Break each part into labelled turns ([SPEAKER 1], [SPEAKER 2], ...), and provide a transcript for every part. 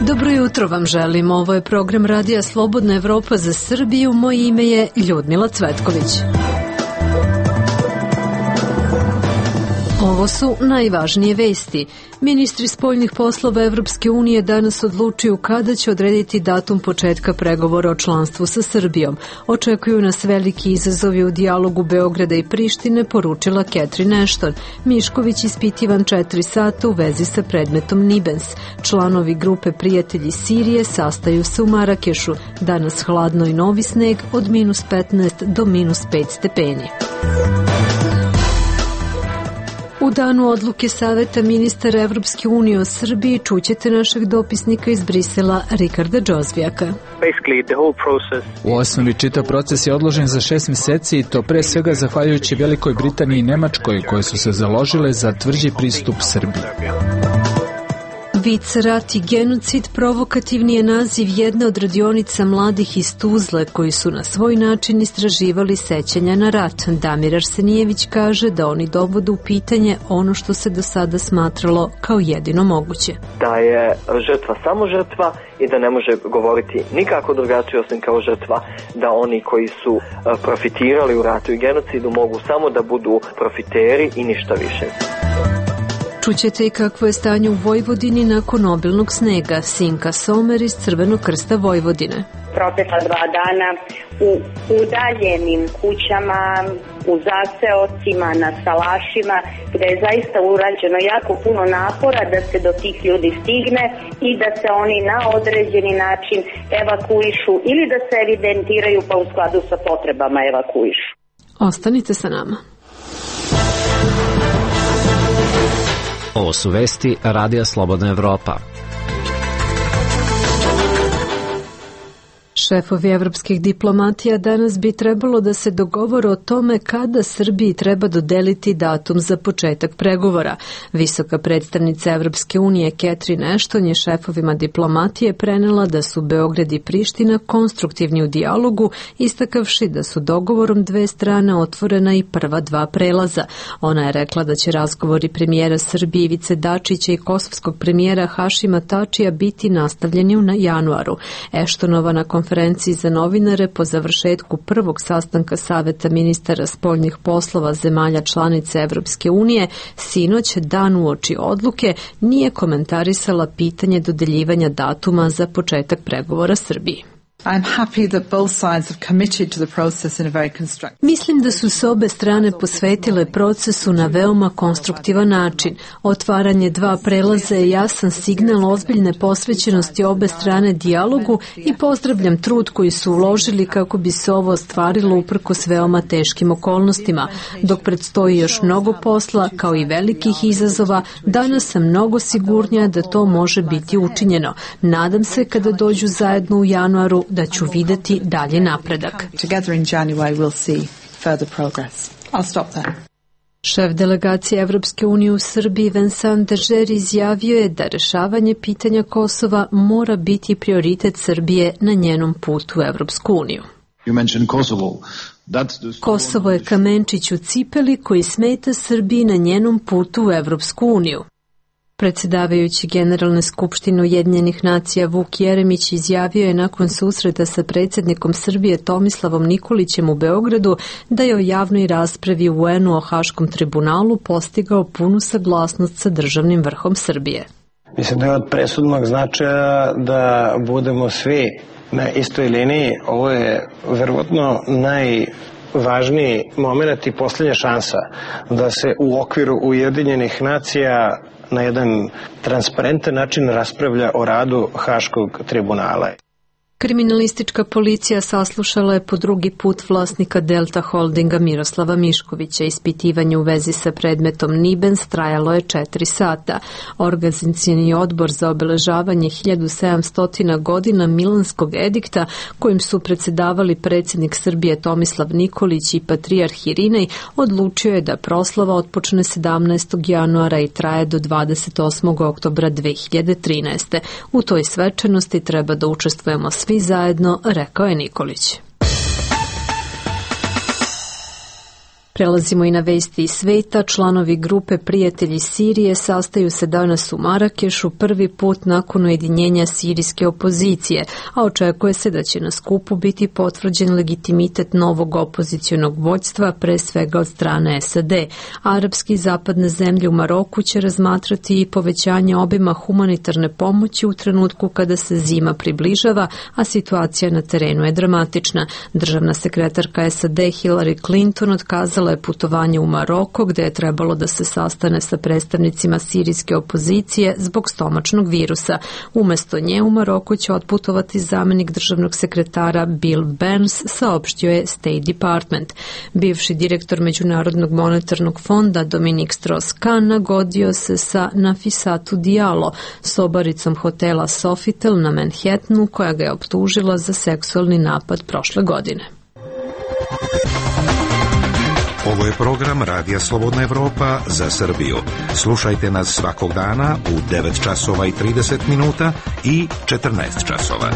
[SPEAKER 1] Dobro jutro vam želim. Ovo je program Radija Slobodna Evropa za Srbiju. Moje ime je Ljudmila Cvetković. Ovo su najvažnije vesti. Ministri spoljnih poslova Evropske unije danas odlučuju kada će odrediti datum početka pregovora o članstvu sa Srbijom. Očekuju nas veliki izazovi u dijalogu Beograda i Prištine, poručila Catherine Ashton. Mišković ispitivan 4 sata u vezi sa predmetom Nibens. Članovi grupe Prijatelji Sirije sastaju se u Marakešu. Danas hladno i novi sneg od -15 do -5 stepeni. U danu odluke Saveta ministara Evropske unije o Srbiji čućete našeg dopisnika iz Brisela Rikarda Džozvijaka.
[SPEAKER 2] U osnovi čitav proces je odložen za 6 mjeseci i to pre svega zahvaljujući Velikoj Britaniji i Nemačkoj koje su se založile za tvrđi pristup Srbiji.
[SPEAKER 1] Vic, rat i genocid provokativni je naziv jedne od radionica mladih iz Tuzle koji su na svoj način istraživali sećanja na rat. Damir Arsenijević kaže da oni dovode u pitanje ono što se do sada smatralo kao jedino moguće.
[SPEAKER 3] Da je žrtva samo žrtva i da ne može govoriti nikako drugačije osim kao žrtva, da oni koji su profitirali u ratu i genocidu mogu samo da budu profiteri i ništa više.
[SPEAKER 1] Čućete i kakvo je stanje u Vojvodini nakon obilnog snega. Sinka Somer iz Crvenog krsta Vojvodine.
[SPEAKER 4] Protekla 2 dana u udaljenim kućama, u zaseocima, na salašima, gde je zaista urađeno jako puno napora da se do tih ljudi stigne i da se oni na određeni način evakuišu ili da se evidentiraju pa u skladu sa potrebama evakuišu.
[SPEAKER 1] Ostanite sa nama.
[SPEAKER 5] Ovo su vesti Radija Slobodna Evropa.
[SPEAKER 1] Šefovi evropskih diplomatija danas bi trebalo da se dogovore o tome kada Srbiji treba dodeliti datum za početak pregovora. Visoka predstavnica Evropske unije Catherine Ashton je šefovima diplomatije prenela da su Beograd i Priština konstruktivni u dijalogu, istakavši da su dogovorom 2 strane otvorena i prva 2 prelaza. Ona je rekla da će razgovori premijera Srbije Ivice Dačića i kosovskog premijera Hašima Tačija biti nastavljeni u januaru. Ashtonova na konferenciji za novinare po završetku prvog sastanka Saveta ministara spoljnih poslova zemalja članica Evropske unije sinoć, dan uoči odluke, nije komentarisala pitanje dodeljivanja datuma za početak pregovora Srbiji. Mislim da su se obe strane posvetile procesu na veoma konstruktivan način. Otvaranje 2 prelaza je jasan signal ozbiljne posvećenosti obe strane dijalogu i pozdravljam trud koji su uložili kako bi se ovo ostvarilo uprkos veoma teškim okolnostima. Dok predstoji još mnogo posla, kao i velikih izazova, danas sam mnogo sigurnija da to može biti učinjeno. Nadam se kada dođu zajedno u januaru da ću videti dalje napredak. Šef delegacije Evropske unije u Srbiji Vincent Dežer izjavio je da rešavanje pitanja Kosova mora biti prioritet Srbije na njenom putu u Evropsku uniju. Kosovo je kamenčić u cipeli koji smeta Srbiji na njenom putu u Evropsku uniju. Predsjedavajući Generalne skupštine Ujedinjenih nacija Vuk Jeremić izjavio je nakon susreta sa predsjednikom Srbije Tomislavom Nikolićem u Beogradu da je o javnoj raspravi u UN-u o Haškom tribunalu postigao punu saglasnost sa državnim vrhom Srbije.
[SPEAKER 6] Mislim da je od presudnog značaja da budemo svi na istoj liniji. Ovo je verovatno najvažniji moment i posljednja šansa da se u okviru Ujedinjenih nacija na jedan transparentan način raspravlja o radu Haškog tribunala.
[SPEAKER 1] Kriminalistička policija saslušala je po drugi put vlasnika Delta Holdinga Miroslava Miškovića. Ispitivanje u vezi sa predmetom Nibens trajalo je 4 sata. Organizacioni odbor za obeležavanje 1700 godina Milanskog edikta, kojim su predsjedavali predsjednik Srbije Tomislav Nikolić i patrijarh Irinej, odlučio je da proslava otpočne 17. januara i traje do 28. oktobra 2013. U toj svečanosti treba da učestvujemo svi svi zajedno, rekao je Nikolić. Prelazimo i na vesti iz sveta. Članovi grupe Prijatelji Sirije sastaju se danas u Marakešu prvi put nakon ujedinjenja sirijske opozicije, a očekuje se da će na skupu biti potvrđen legitimitet novog opozicionog vođstva, pre svega od strane SAD. Arapski i zapadne zemlje u Maroku će razmatrati i povećanje obima humanitarne pomoći u trenutku kada se zima približava, a situacija na terenu je dramatična. Državna sekretarka SAD Hillary Clinton otkazala je putovanje u Maroko, gde je trebalo da se sastane sa predstavnicima sirijske opozicije zbog stomačnog virusa. Umesto nje u Maroku će otputovati zamenik državnog sekretara Bill Burns, saopštio je State Department. Bivši direktor Međunarodnog monetarnog fonda Dominique Strauss-Kahn nagodio se sa Nafisatu Diallo, sobaricom hotela Sofitel na Manhattanu, koja ga je optužila za seksualni napad prošle godine.
[SPEAKER 7] Ovo je program Radija Slobodna Evropa za Srbiju. Slušajte nas svakog dana u 9 časova i 30 minuta i 14 časova.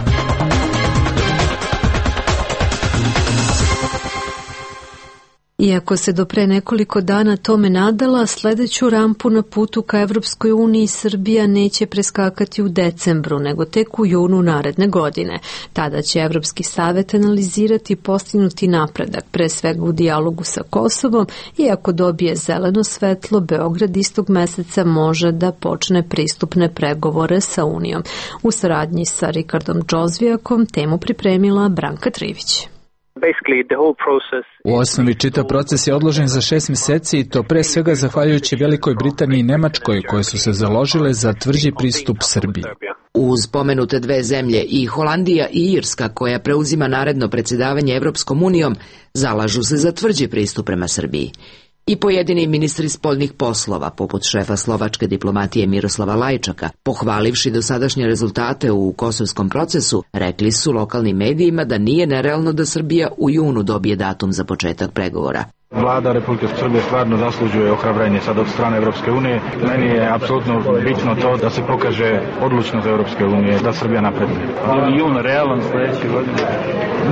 [SPEAKER 1] Iako se do pre nekoliko dana tome nadala, sledeću rampu na putu ka Evropskoj uniji Srbija neće preskakati u decembru, nego tek u junu naredne godine. Tada će Evropski savet analizirati postignuti napredak, pre svega u dijalogu sa Kosovom, i ako dobije zeleno svetlo, Beograd istog meseca može da počne pristupne pregovore sa Unijom. U saradnji sa Rikardom Džozvijakom temu pripremila Branka Trivić.
[SPEAKER 2] U osnovi čitav proces je odložen za 6 meseci i to pre svega zahvaljujući Velikoj Britaniji i Nemačkoj, koje su se založile za tvrđi pristup Srbiji.
[SPEAKER 8] Uz pomenute dve zemlje i Holandija i Irska, koja preuzima naredno predsjedavanje Evropskom unijom, zalažu se za tvrđi pristup prema Srbiji. I pojedini ministri spoljnih poslova, poput šefa slovačke diplomatije Miroslava Lajčaka, pohvalivši dosadašnje rezultate u kosovskom procesu, rekli su lokalnim medijima da nije nerealno da Srbija u junu dobije datum za početak pregovora.
[SPEAKER 9] Vlada Republike Srbije stvarno zaslužuje ohrabrenje sad od strane Evropske unije. Meni je apsolutno bitno to da se pokaže odlučnost Evropske unije, da Srbija napreduje. Jun realan sledeće godine?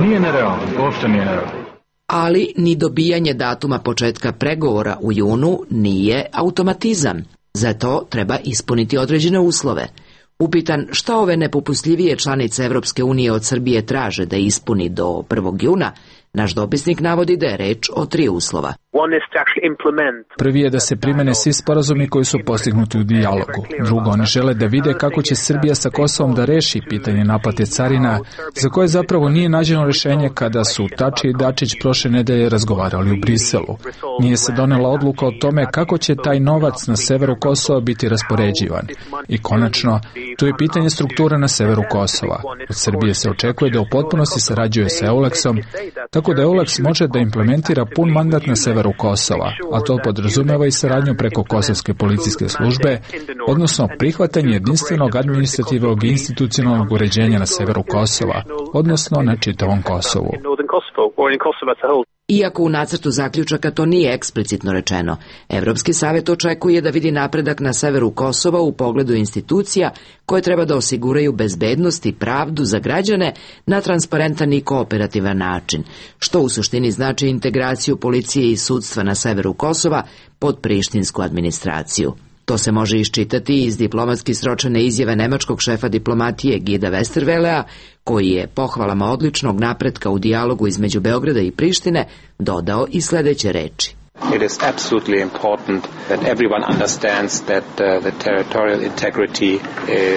[SPEAKER 9] Nije nerealno, uopšte nije nerealno.
[SPEAKER 8] Ali ni dobijanje datuma početka pregovora u junu nije automatizam. Za to treba ispuniti određene uslove. Upitan šta ove nepopustljivije članice Evropske unije od Srbije traže da ispuni do 1. juna, naš dopisnik navodi da je reč o 3 uslova.
[SPEAKER 2] Prvi je da se primene svi sporazumi koji su postignuti u dijalogu. Drugo, oni žele da vide kako će Srbija sa Kosovom da reši pitanje naplate carina, za koje zapravo nije nađeno rešenje kada su Tači i Dačić prošle nedelje razgovarali u Briselu. Nije se donela odluka o tome kako će taj novac na severu Kosova biti raspoređivan. I konačno, tu je pitanje struktura na severu Kosova. Od Srbije se očekuje da u potpunosti sarađuje sa EULEX-om, tako da EULEX može da implementira pun mandat na severu Kosova, a to podrazumeva i saradnju preko kosovske policijske službe, odnosno prihvatanje jedinstvenog administrativnog i institucionalnog uređenja na severu Kosova, odnosno na čitavom Kosovu.
[SPEAKER 8] Iako u nacrtu zaključaka to nije eksplicitno rečeno, Evropski savet očekuje da vidi napredak na severu Kosova u pogledu institucija koje treba da osiguraju bezbednost i pravdu za građane na transparentan i kooperativan način, što u suštini znači integraciju policije i sudstva na severu Kosova pod prištinsku administraciju. To se može iščitati iz diplomatski sročene izjave nemačkog šefa diplomatije Guida Westervelea, koji je pohvalama odličnog napretka u dijalogu između Beograda i Prištine dodao i sledeće reči.
[SPEAKER 10] It is absolutely important that everyone understands that the territorial integrity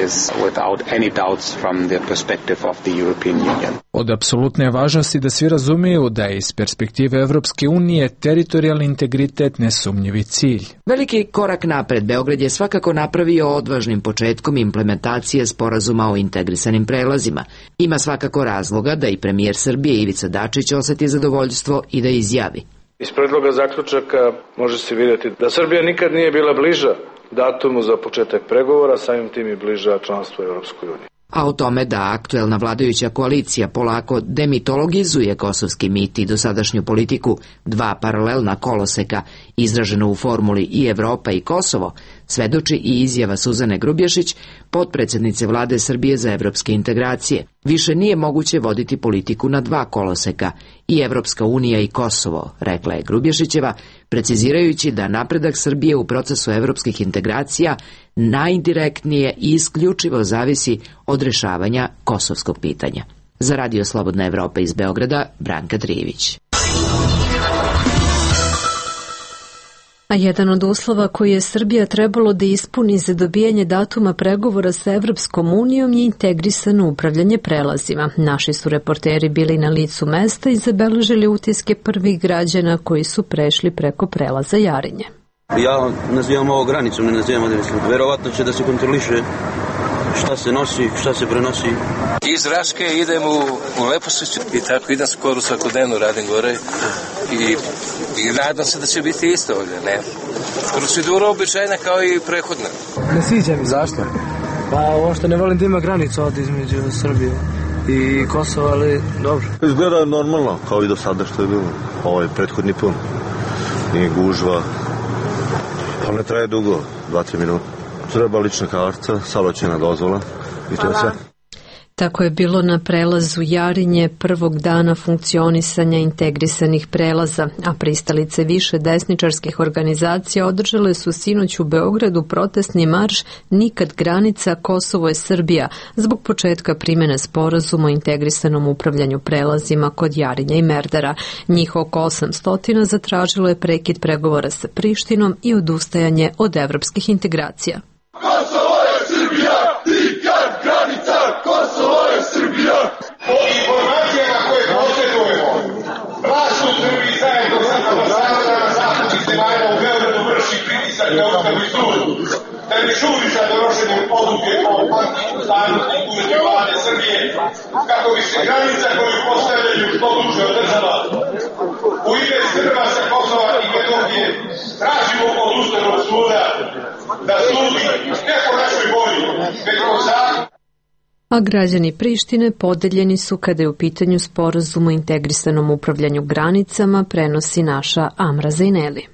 [SPEAKER 10] is without any doubts from the perspective of the European Union.
[SPEAKER 2] Od apsolutne važnosti da svi razumiju da je iz perspektive Evropske unije teritorijalni integritet nesumnjivi cilj.
[SPEAKER 8] Veliki korak napred Beograd je svakako napravio odvažnim početkom implementacije sporazuma o integrisanim prelazima. Ima svakako razloga da i premijer Srbije Ivica Dačić oseti zadovoljstvo i da izjavi.
[SPEAKER 11] Iz predloga zaključaka može se vidjeti da Srbija nikad nije bila bliža datumu za početak pregovora, samim tim i bliža članstvu u Evropskoj uniji.
[SPEAKER 8] A o tome da aktuelna vladajuća koalicija polako demitologizuje kosovski mit i dosadašnju politiku dva paralelna koloseka izraženo u formuli i Evropa i Kosovo, svedoči i izjava Suzane Grubješić, potpredsednice vlade Srbije za evropske integracije. Više nije moguće voditi politiku na dva koloseka, i Evropska unija i Kosovo, rekla je Grubješićeva, precizirajući da napredak Srbije u procesu evropskih integracija najdirektnije i isključivo zavisi od rešavanja kosovskog pitanja. Za Radio Slobodna Evropa iz Beograda, Branka Trijević.
[SPEAKER 1] A jedan od uslova koji je Srbija trebalo da ispuni za dobijanje datuma pregovora sa Evropskom unijom je integrisano upravljanje prelazima. Naši su reporteri bili na licu mesta i zabeležili utiske prvih građana koji su prešli preko prelaza Jarinje.
[SPEAKER 12] Ja nazivam ovo granicom, ne nazivam određenom. Verovatno će da se kontroliše šta se nosi, šta se prenosi.
[SPEAKER 13] Iz Raške idem u Lepošiću i tako idem skoro svakodnevno, radim gore i nadam se da će biti isto ovdje, ne. Procedura običajna kao i prethodna.
[SPEAKER 14] Ne sviđa mi.
[SPEAKER 12] Zašto?
[SPEAKER 14] Pa uopšte ne volim da ima granicu ovdje između Srbije i Kosova, ali dobro.
[SPEAKER 15] Izgleda normalno, kao i do sada što je bilo. Ovo je prethodni pun. Nije gužva. To ne traje dugo, 2-3 minuta. Treba lična karta, saobraćajna dozvola i to je sve.
[SPEAKER 1] Tako je bilo na prelazu Jarinje prvog dana funkcionisanja integrisanih prelaza, a pristalice više desničarskih organizacija održale su sinoć u Beogradu protestni marš Nikad granica, Kosovo je Srbija, zbog početka primjene sporazuma o integrisanom upravljanju prelazima kod Jarinja i Merdara. Njih oko 800 zatražilo je prekid pregovora sa Prištinom i odustajanje od evropskih integracija.
[SPEAKER 16] Kosovo je Srbija, nikad granica, Kosovo je Srbija. Po informacijama koje posjedujemo, vlast u Srbiji zajedno sa ambasadorima zapadnih zemalja u Beogradu vrši pritisak na Ustavni sud, da ne žuri sa donošenjem odluke o ustavnosti uredbe vlade Srbije, kako bi se granica koju postavljaju što duže održala. U ime Srba sa Kosova i Metohije tražimo od Ustavnog suda da sudi ne po našoj volji, već po zakonu.
[SPEAKER 1] A građani Prištine podeljeni su kada je u pitanju sporazum o integrisanom upravljanju granicama, prenosi naša Amra Zajneli.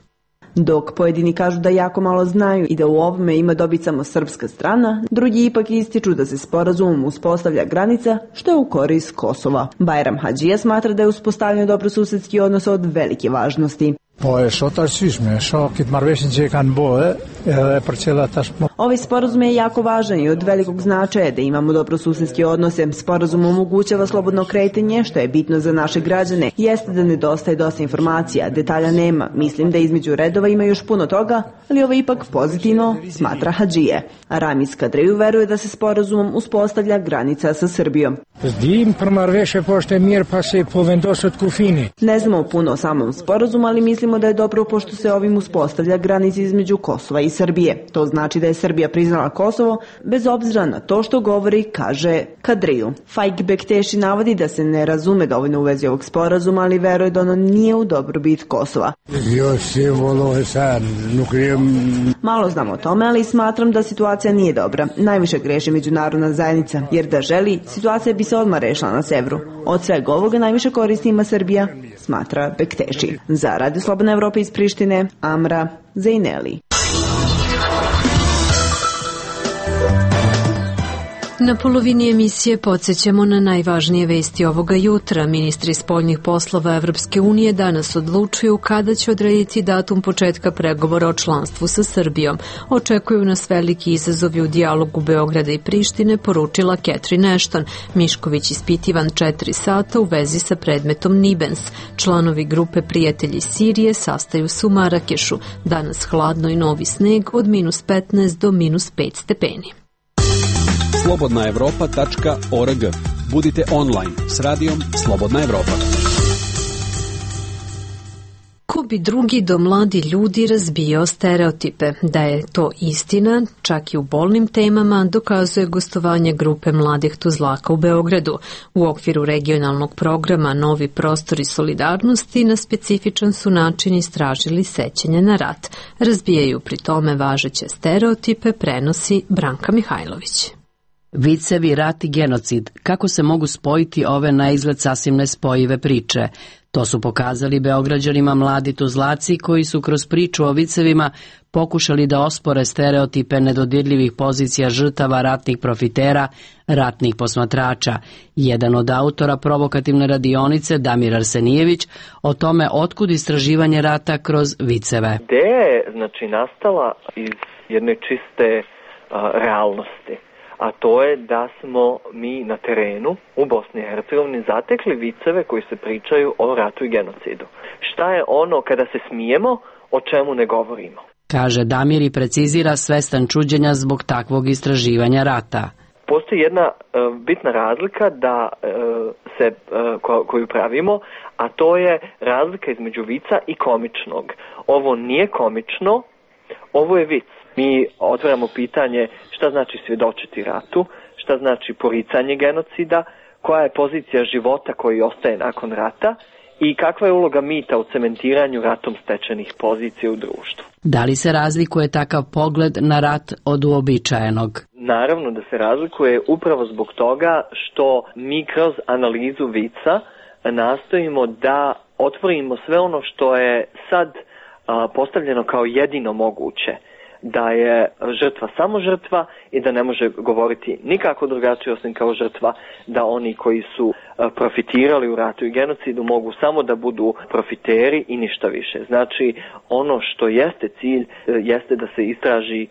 [SPEAKER 17] Dok pojedini kažu da jako malo znaju i da u ovome ima dobit samo srpska strana, drugi ipak ističu da se sporazumom uspostavlja granica, što je u korist Kosova. Bajram Hadžija smatra da je uspostavljanje dobrosusedski odnos od velike važnosti. Ovaj sporazum je jako važan i od velikog značaja da imamo dobrosusedske odnose. Sporazum omogućava slobodno kretanje, što je bitno za naše građane. Jeste da nedostaje dosta informacija, detalja nema. Mislim da između redova ima još puno toga, ali ovo je ipak pozitivno, smatra Hadžije. A Ramiz Kadriju veruje da se sporazumom uspostavlja granica sa Srbijom. Ne znamo puno o samom sporazumu, ali mislimo da je dobro pošto se ovim uspostavlja granica između Kosova i Srbije. To znači da je Srbija priznala Kosovo, bez obzira na to što govori, kaže Kadriju. Faik Bekteši navodi da se ne razume dovoljno u vezi ovog sporazuma, ali veruje da ono nije u dobrobit Kosova. Malo znam o tome, ali smatram da situacija nije dobra. Najviše greši međunarodna zajednica, jer da želi, situacija bi se odmah rešila na severu. Od svega ovoga najviše koristi ima Srbija, smatra Bekteši. Za Radio Slobodna Evropa iz Prištine, Amra Zajneli.
[SPEAKER 1] Na polovini emisije podsjećamo na najvažnije vesti ovoga jutra. Ministri spoljnih poslova Evropske unije danas odlučuju kada će odrediti datum početka pregovora o članstvu sa Srbijom. Očekuju nas veliki izazovi u dijalogu Beograda i Prištine, poručila Catherine Ashton. Mišković ispitivan 4 sata u vezi sa predmetom Nibens. Članovi grupe Prijatelji Sirije sastaju se u Marakešu. Danas hladno i novi sneg od -15 do -5 stepeni.
[SPEAKER 18] slobodnaevropa.org. Budite online s radijom Slobodna Evropa.
[SPEAKER 1] Ko bi drugi do mladi ljudi razbijao stereotipe? Da je to istina, čak i u bolnim temama, dokazuje gostovanje grupe mladih Tuzlaka u Beogradu. U okviru regionalnog programa Novi prostori solidarnosti na specifičan su način istražili sećanje na rat. Razbijaju pri tome važeće stereotipe, prenosi Branka Mihajlović.
[SPEAKER 19] Vicevi, rat i genocid, kako se mogu spojiti ove na izgled sasvim nespojive priče? To su pokazali Beograđanima mladi Tuzlaci koji su kroz priču o vicevima pokušali da ospore stereotipe nedodirljivih pozicija žrtava ratnih profitera, ratnih posmatrača. Jedan od autora provokativne radionice, Damir Arsenijević, o tome otkud istraživanje rata kroz viceve.
[SPEAKER 3] Ideja je nastala iz jedne čiste realnosti. A to je da smo mi na terenu u Bosni i Hercegovini zatekli viceve koji se pričaju o ratu i genocidu. Šta je ono kada se smijemo, o čemu ne govorimo?
[SPEAKER 19] Kaže Damir i precizira svestan čuđenja zbog takvog istraživanja rata.
[SPEAKER 3] Postoji jedna bitna razlika koju pravimo, a to je razlika između vica i komičnog. Ovo nije komično, ovo je vic. Mi otvaramo pitanje šta znači svjedočiti ratu, šta znači poricanje genocida, koja je pozicija života koji ostaje nakon rata i kakva je uloga mita u cementiranju ratom stečenih pozicija u društvu.
[SPEAKER 19] Da li se razlikuje takav pogled na rat od uobičajenog?
[SPEAKER 3] Naravno da se razlikuje upravo zbog toga što mi kroz analizu vica nastojimo da otvorimo sve ono što je sad postavljeno kao jedino moguće. Da je žrtva samo žrtva i da ne može govoriti nikako drugačije osim kao žrtva, da oni koji su profitirali u ratu i genocidu mogu samo da budu profiteri i ništa više. Znači, ono što jeste cilj jeste da se istraži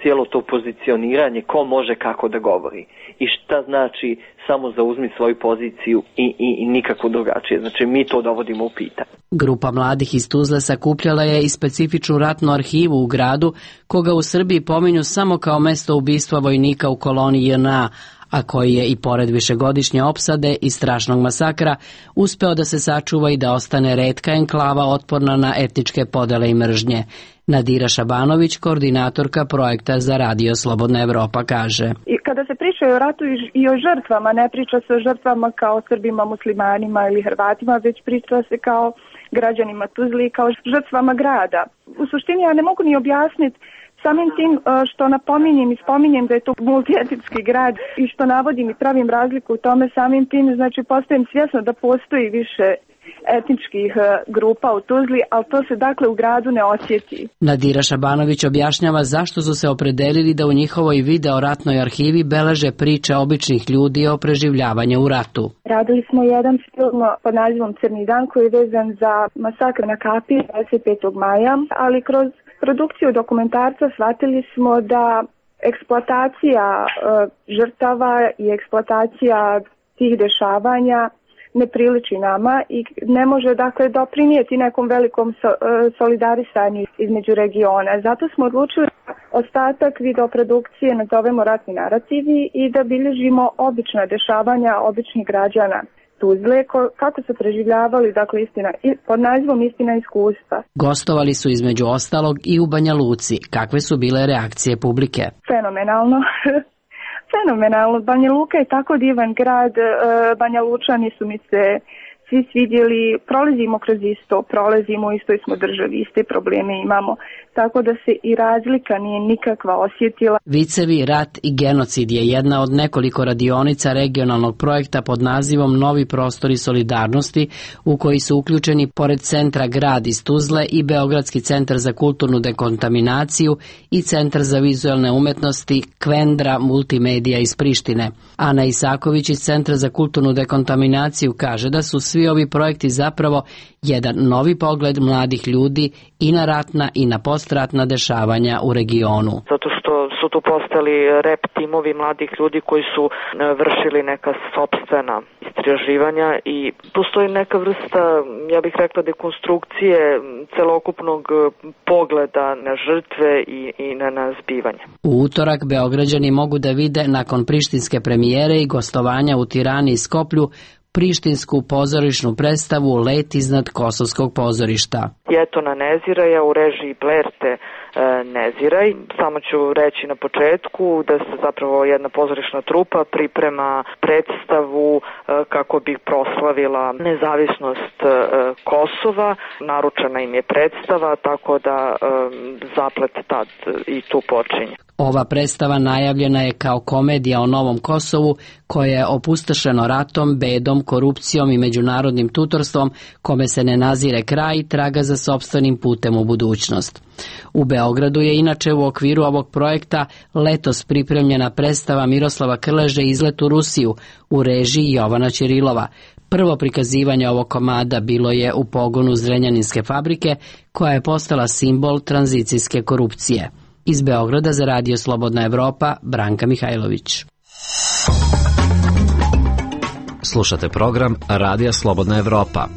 [SPEAKER 3] cijelo to pozicioniranje ko može kako da govori i šta znači samo zauzmi svoju poziciju i nikako drugačije. Znači, mi to dovodimo u pitanje.
[SPEAKER 19] Grupa mladih iz Tuzle sakupljala je i specifičnu ratnu arhivu u gradu, koga u Srbiji pominju samo kao mesto ubistva vojnika u koloniji JNA, a koji je i pored višegodišnje opsade i strašnog masakra uspeo da se sačuva i da ostane retka enklava otporna na etničke podele i mržnje. Nadira Šabanović, koordinatorka projekta za Radio Slobodna Evropa, kaže.
[SPEAKER 20] I kada se priča o ratu i o žrtvama, ne priča se o žrtvama kao Srbima, muslimanima ili Hrvatima, već priča se kao građanima Tuzli, kao žrtvama grada. U suštini ja ne mogu ni objasniti samim tim što napominjem i spominjem da je to multietnički grad i što navodim i pravim razliku u tome, samim tim znači postajem svjesna da postoji više etničkih grupa u Tuzli, ali to se dakle u gradu ne osjeti.
[SPEAKER 19] Nadira Šabanović objašnjava zašto su se opredelili da u njihovoj video ratnoj arhivi beleže priče običnih ljudi o preživljavanju u ratu.
[SPEAKER 20] Radili smo jedan film pod nazivom Crni dan koji je vezan za masakr na Kapiji 25. maja, ali kroz produkciju dokumentarca shvatili smo da eksploatacija žrtava i eksploatacija tih dešavanja ne priliči nama i ne može dakle doprinijeti nekom velikom solidarisanju između regiona. Zato smo odlučili ostatak videoprodukcije nazovemo ratni narativi i da bilježimo obična dešavanja običnih građana Tuzle, kako su preživljavali, dakle, istina, pod nazivom Istina iskustva.
[SPEAKER 19] Gostovali su između ostalog i u Banja Luci. Kakve su bile reakcije publike?
[SPEAKER 20] Fenomenalno. Fenomenalno. Banja Luka je tako divan grad, Banja Lučani su mi se svi svidjeli, prolazimo kroz isto, prolazimo u istoj smo državi, iste probleme imamo, tako da se i razlika nije nikakva osjetila.
[SPEAKER 19] Vicevi, rat i genocid je jedna od nekoliko radionica regionalnog projekta pod nazivom Novi prostori solidarnosti, u koji su uključeni pored centra Grad iz Tuzle i Beogradski centar za kulturnu dekontaminaciju i centar za vizualne umetnosti Kvendra multimedija iz Prištine. Ana Isaković iz centra za kulturnu dekontaminaciju kaže da su svi ovi projekti zapravo jedan novi pogled mladih ljudi i na ratna i na postratna dešavanja u regionu.
[SPEAKER 21] Zato što su tu postali rep timovi mladih ljudi koji su vršili neka sopstvena istraživanja i postoji neka vrsta, ja bih rekla, dekonstrukcije celokupnog pogleda na žrtve i na zbivanje.
[SPEAKER 19] U utorak Beograđani mogu da vide nakon prištinske premijere i gostovanja u Tirani i Skoplju prištinsku pozorišnu predstavu Let iznad Kosovskog pozorišta.
[SPEAKER 21] Jetona Neziraja u režiji Blerte Neziraj. Samo ću reći na početku da se zapravo jedna pozorišna trupa priprema predstavu kako bi proslavila nezavisnost Kosova. Naručena im je predstava, tako da zaplet tad i tu počinje.
[SPEAKER 19] Ova predstava najavljena je kao komedija o novom Kosovu koje je opustošeno ratom, bedom, korupcijom i međunarodnim tutorstvom kome se ne nazire kraj i traga za sopstvenim putem u budućnost. U Beogradu je inače u okviru ovog projekta letos pripremljena predstava Miroslava Krleže Izlet u Rusiju u režiji Jovana Ćirilova. Prvo prikazivanje ovog komada bilo je u pogonu Zrenjaninske fabrike koja je postala simbol tranzicijske korupcije. Iz Beograda za Radio Slobodna Evropa, Branka Mihajlović.
[SPEAKER 5] Slušate program Radija Slobodna Evropa.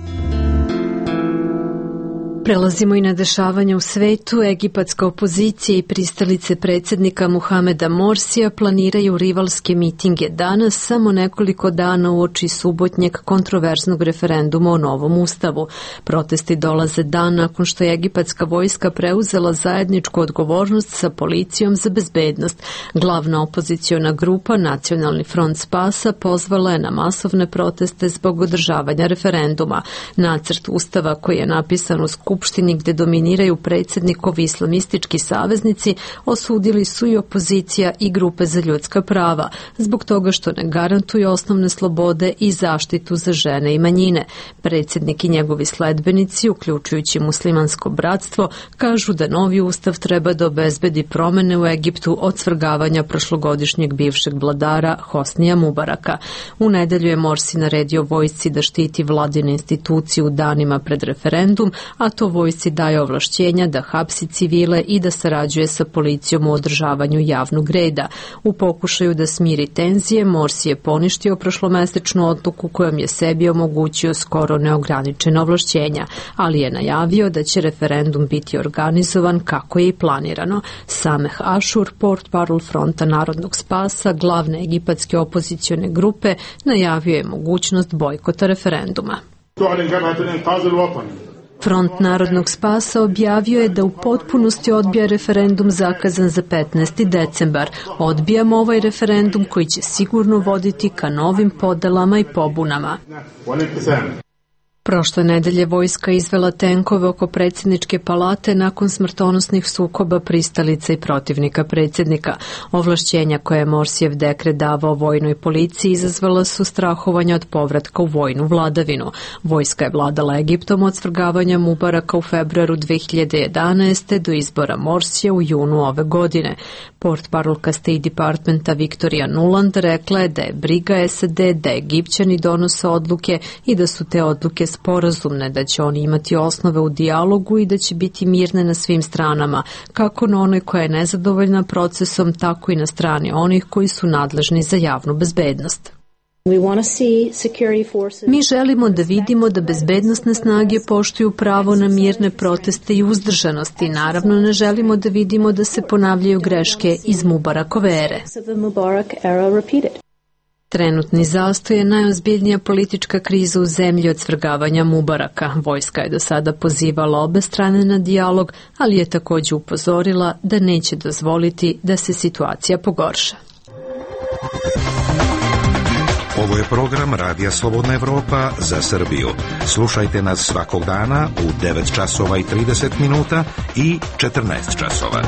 [SPEAKER 1] Prelazimo i na dešavanje u svetu. Egipatska opozicija i pristalice predsjednika Muhameda Morsija planiraju rivalske mitinge danas, samo nekoliko dana uoči subotnjeg kontroverznog referenduma o novom ustavu. Protesti dolaze dan nakon što je egipatska vojska preuzela zajedničku odgovornost sa policijom za bezbednost. Glavna opoziciona grupa Nacionalni front spasa pozvala je na masovne proteste zbog održavanja referenduma. Nacrt ustava koji je napisan u Skupštini gde dominiraju predsjednikovi islamistički saveznici osudili su i opozicija i grupe za ljudska prava, zbog toga što ne garantuju osnovne slobode i zaštitu za žene i manjine. Predsjednik i njegovi sledbenici, uključujući muslimansko bratstvo, kažu da novi ustav treba da obezbedi promene u Egiptu od svrgavanja prošlogodišnjeg bivšeg vladara Hosnija Mubaraka. U nedelju je Morsi naredio vojsci da štiti vladine institucije u danima pred referendum, a to vojsci daje ovlašćenja da hapsi civile i da sarađuje sa policijom u održavanju javnog reda. U pokušaju da smiri tenzije, Morsi je poništio prošlomesečnu odluku kojom je sebi omogućio skoro neograničena ovlašćenja, ali je najavio da će referendum biti organizovan kako je i planirano. Sameh Ashur, portparol Fronta narodnog spasa, glavne egipatske opozicione grupe, najavio je mogućnost bojkota referenduma. Front narodnog spasa objavio je da u potpunosti odbija referendum zakazan za 15. decembar. Odbijamo ovaj referendum koji će sigurno voditi ka novim podelama i pobunama. Prošle nedelje vojska izvela tenkove oko predsjedničke palate nakon smrtonosnih sukoba pristalica i protivnika predsjednika. Ovlašćenja koje je Morsijev dekret davao vojnoj policiji izazvala su strahovanja od povratka u vojnu vladavinu. Vojska je vladala Egiptom od svrgavanja Mubaraka u februaru 2011. do izbora Morsija u junu ove godine. Portparolka State Departmenta Victoria Nuland rekla je da je briga SAD da Egipćani donose odluke i da su te odluke sporazumne, da će oni imati osnove u dijalogu i da će biti mirne na svim stranama, kako na onoj koja je nezadovoljna procesom, tako i na strani onih koji su nadležni za javnu bezbednost. Mi želimo da vidimo da bezbednosne snage poštuju pravo na mirne proteste i uzdržanost i naravno ne želimo da vidimo da se ponavljaju greške iz Mubarakove ere. Trenutni zastoj je najozbiljnija politička kriza u zemlji od svrgavanja Mubaraka. Vojska je do sada pozivala obe strane na dijalog, ali je također upozorila da neće dozvoliti da se situacija pogorša.
[SPEAKER 7] Ovo je program Radija Slobodna Evropa za Srbiju. Slušajte nas svakog dana u 9 časova i 30 minuta i 14 časova.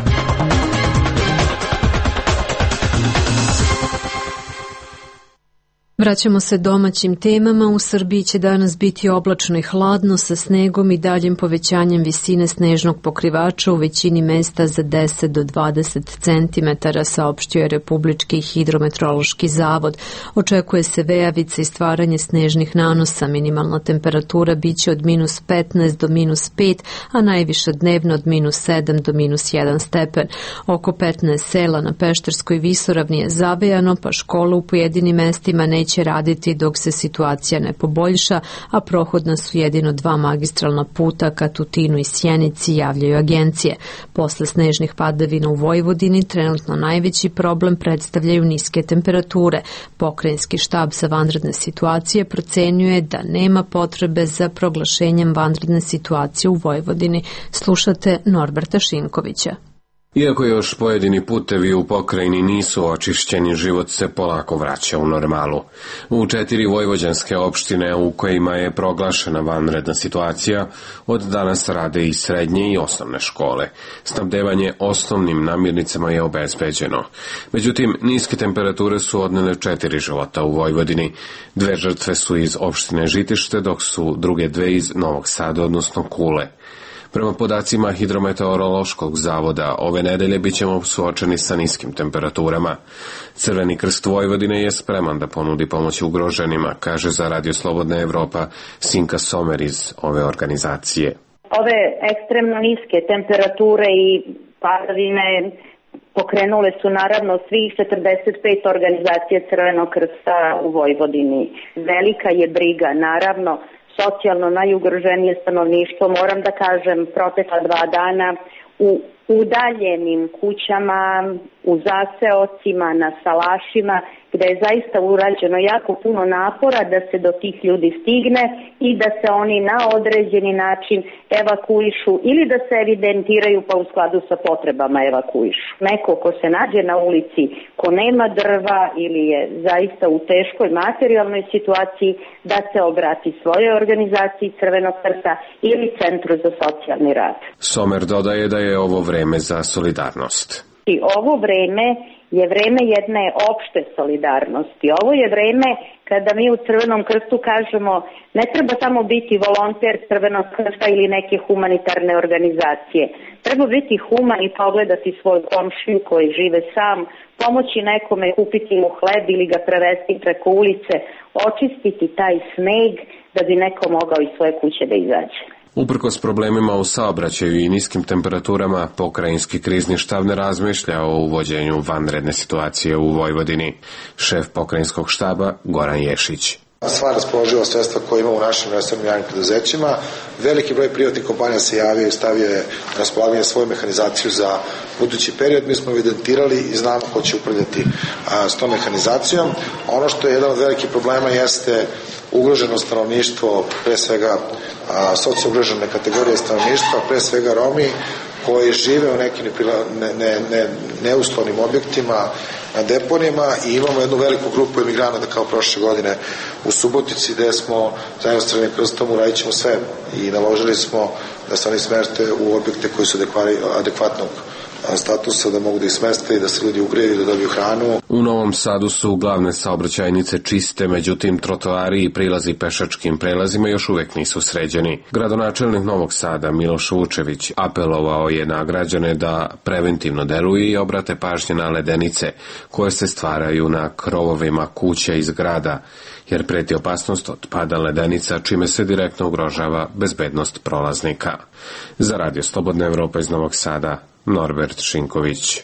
[SPEAKER 1] Vraćamo se domaćim temama. U Srbiji će danas biti oblačno i hladno sa snegom i daljim povećanjem visine snežnog pokrivača u većini mesta za 10 do 20 cm, saopštio je Republički hidrometeorološki zavod. Očekuje se vejavica i stvaranje snežnih nanosa. Minimalna temperatura biće od minus 15 do minus 5, a najviša dnevno od minus 7 do minus 1 stepen. Oko 15 sela na Pešterskoj visoravni je zavejano, pa škola u pojedinim mestima neće raditi dok se situacija ne poboljša, a prohodna su jedino 2 magistralna puta ka Tutinu i Sjenici, javljaju agencije. Posle snežnih padavina u Vojvodini trenutno najveći problem predstavljaju niske temperature. Pokrajinski štab za vanredne situacije procenjuje da nema potrebe za proglašenjem vanredne situacije u Vojvodini. Slušate Norberta Šinkovića.
[SPEAKER 4] Iako još pojedini putevi u pokrajini nisu očišćeni, život se polako vraća u normalu. U 4 vojvođanske opštine u kojima je proglašena vanredna situacija, od danas rade i srednje i osnovne škole. Snabdevanje osnovnim namirnicama je obezbeđeno. Međutim, niske temperature su odnele 4 života u Vojvodini. 2 žrtve su iz opštine Žitište, dok su druge 2 iz Novog Sada, odnosno Kule. Prema podacima Hidrometeorološkog zavoda, ove nedelje bit ćemo suočeni sa niskim temperaturama. Crveni krst Vojvodine je spreman da ponudi pomoć ugroženima, kaže za Radio Slobodna Evropa Sinka Somer iz ove organizacije.
[SPEAKER 22] Ove ekstremno niske temperature i padavine pokrenule su naravno svih 45 organizacije Crvenog krsta u Vojvodini. Velika je briga, naravno, socijalno najugroženije stanovništvo, moram da kažem, protekla 2 dana u udaljenim kućama, u zaseocima, na salašima, gde je zaista urađeno jako puno napora da se do tih ljudi stigne i da se oni na određeni način evakuišu ili da se evidentiraju pa u skladu sa potrebama evakuišu. Neko ko se nađe na ulici, ko nema drva ili je zaista u teškoj materijalnoj situaciji, da se obrati svojoj organizaciji Crvenog krsta ili Centru za socijalni rad.
[SPEAKER 4] Somer dodaje da je ovo vreme za solidarnost.
[SPEAKER 22] I ovo vreme je vreme jedne opšte solidarnosti. Ovo je vreme kada mi u Crvenom krstu kažemo ne treba samo biti volonter Crvenog krsta ili neke humanitarne organizacije. Treba biti human i pogledati svoju komšiju koji žive sam, pomoći nekome, kupiti mu hleb ili ga prevesti preko ulice, očistiti taj sneg da bi neko mogao iz svoje kuće da izađe.
[SPEAKER 4] Uprkos problemima u saobraćaju i niskim temperaturama, pokrajinski krizni štab ne razmišlja o uvođenju vanredne situacije u Vojvodini. Šef pokrajinskog štaba Goran Ješić.
[SPEAKER 23] Sva raspoloživa sredstva koje imamo u našim resornim javnim preduzećima, veliki broj privatnih kompanija se javio i stavio je na raspolaganje svoju mehanizaciju za budući period. Mi smo evidentirali i znamo ko će upravljati s tom mehanizacijom. Ono što je jedan od velikih problema jeste ugroženo stanovništvo, pre svega socio-ugrožene kategorije stanovništva, pre svega Romi, koji žive u nekim neuslovnim objektima, na deponijama i imamo jednu veliku grupu emigranata kao prošle godine u Subotici gde smo zajedno s Crvenim krstom uradit ćemo sve i naložili smo da se oni smeste u objekte koji su adekvatnog statusa, da mogu da ih smeste i da se ljudi ugreju i da dobiju hranu.
[SPEAKER 4] U Novom Sadu su glavne saobraćajnice čiste, međutim trotoari i prilazi pešačkim prelazima još uvek nisu sređeni. Gradonačelnik Novog Sada Miloš Vučević apelovao je na građane da preventivno deluju i obrate pažnje na ledenice koje se stvaraju na krovovima kuća i zgrada, jer preti opasnost od pada ledenica, čime se direktno ugrožava bezbednost prolaznika. Za Radio Slobodna Evropa iz Novog Sada, Norbert Šinković.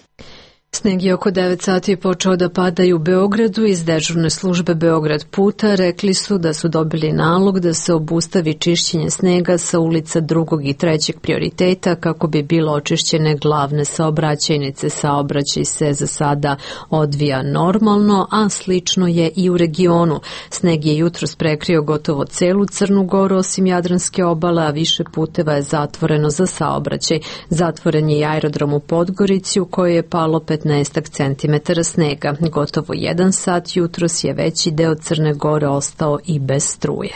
[SPEAKER 1] Sneg je oko 9 sati počeo da pada i u Beogradu. Iz dežurne službe Beograd puta rekli su da su dobili nalog da se obustavi čišćenje snega sa ulica 2. i 3. prioriteta kako bi bilo očišćene glavne saobraćajnice. Saobraćaj se za sada odvija normalno, a slično je i u regionu. Sneg je jutros prekrio gotovo celu Crnu Goru osim Jadranske obale, a više puteva je zatvoreno za saobraćaj. Zatvoren je i aerodrom u Podgorici u kojoj je palo 15 centimetara snega. Gotovo 1 sat jutros je veći deo Crne Gore ostao i bez struje.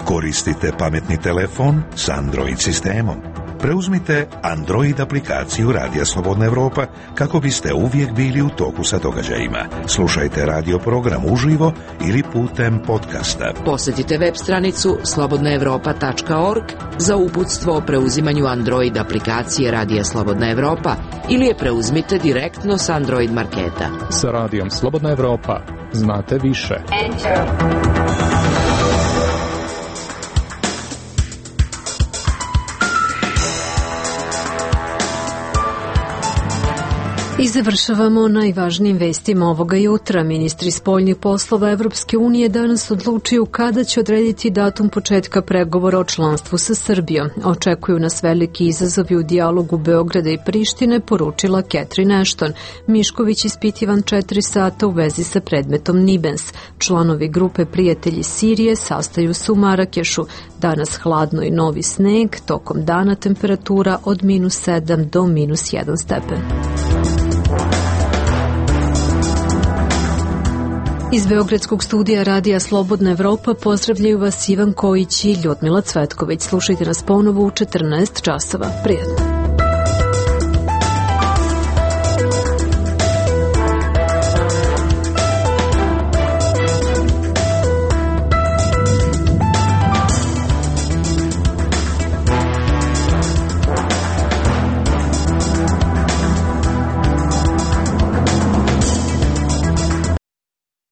[SPEAKER 7] Koristite pametni telefon s Android sistemom. Preuzmite Android aplikaciju Radija Slobodna Evropa kako biste uvijek bili u toku sa događajima. Slušajte radio program uživo ili putem podcasta.
[SPEAKER 8] Posjetite web stranicu slobodnaevropa.org za uputstvo o preuzimanju Android aplikacije Radija Slobodna Evropa ili je preuzmite direktno s Android marketa.
[SPEAKER 2] Sa Radijom Slobodna Evropa znate više.
[SPEAKER 1] I završavamo najvažnijim vestima ovoga jutra. Ministri spoljnih poslova Evropske unije danas odlučuju kada će odrediti datum početka pregovora o članstvu sa Srbijom. Očekuju nas veliki izazovi u dijalogu Beograda i Prištine, poručila Catherine Ashton. Mišković ispitivan 4 sata u vezi sa predmetom Nibens. Članovi grupe Prijatelji Sirije sastaju se u Marakešu. Danas hladno i novi sneg, tokom dana temperatura od -7 do -1 stepen. Iz Beogradskog studija Radija Slobodna Evropa pozdravljaju vas Ivan Kojić i Ljudmila Cvetković. Slušajte nas ponovo u 14 časova. Prijatno.